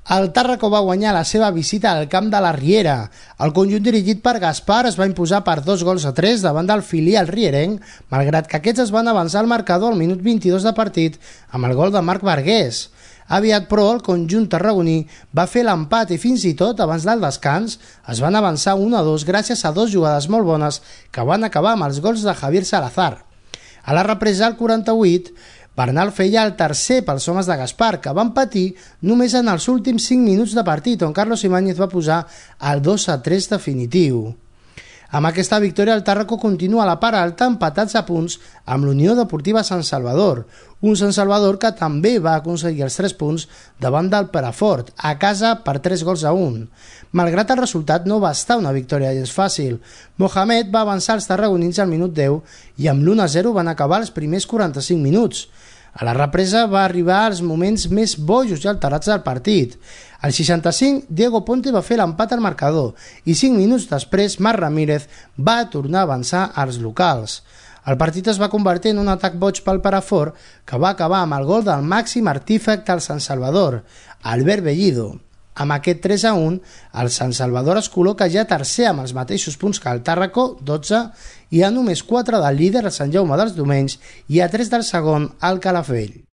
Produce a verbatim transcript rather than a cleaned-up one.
El Tàrraco va guanyar la seva visita al camp de la Riera. El conjunt dirigit per Gaspar es va imposar per dos gols a tres davant del filial rierenc, malgrat que aquests es van avançar al marcador al minut vint-i-dos de partit amb el gol de Marc Vergués. Aviat, però, el conjunt tarragoní va fer l'empat i fins i tot, abans del descans, es van avançar un a dos gràcies a dos jugades molt bones que van acabar amb els gols de Javier Salazar. A la represa, al quaranta-vuit, Bernal feia el tercer pels homes de Gaspar, que van patir només en els últims cinc minuts de partit, on Carlos Ibáñez va posar el dos a tres definitiu. Amb aquesta victòria, el Tàrraco continua a la part alta empatats a punts amb l'Unió Deportiva Sant Salvador, un Sant Salvador que també va aconseguir els tres punts davant del Perafort, a casa per tres gols a un. Malgrat el resultat, no va estar una victòria gens fàcil. Mohamed va avançar els tarragonins al minut deu i amb l'u a zero van acabar els primers quaranta-cinc minuts. A la represa va arribar als moments més bojos i alterats del partit. Al seixanta-cinc, Diego Ponte va fer l'empat al marcador i cinc minuts després Marc Ramírez va tornar a avançar als locals. El partit es va convertir en un atac boig pel Perafort, que va acabar amb el gol del màxim artífex del Sant Salvador, Albert Bellido. Amb aquest tres a un, el Sant Salvador es col·loca ja tercer amb els mateixos punts que el Tàrraco, dotze, i a només quatre del líder, el Sant Jaume dels Domenys, i a tres del segon, el Calafell.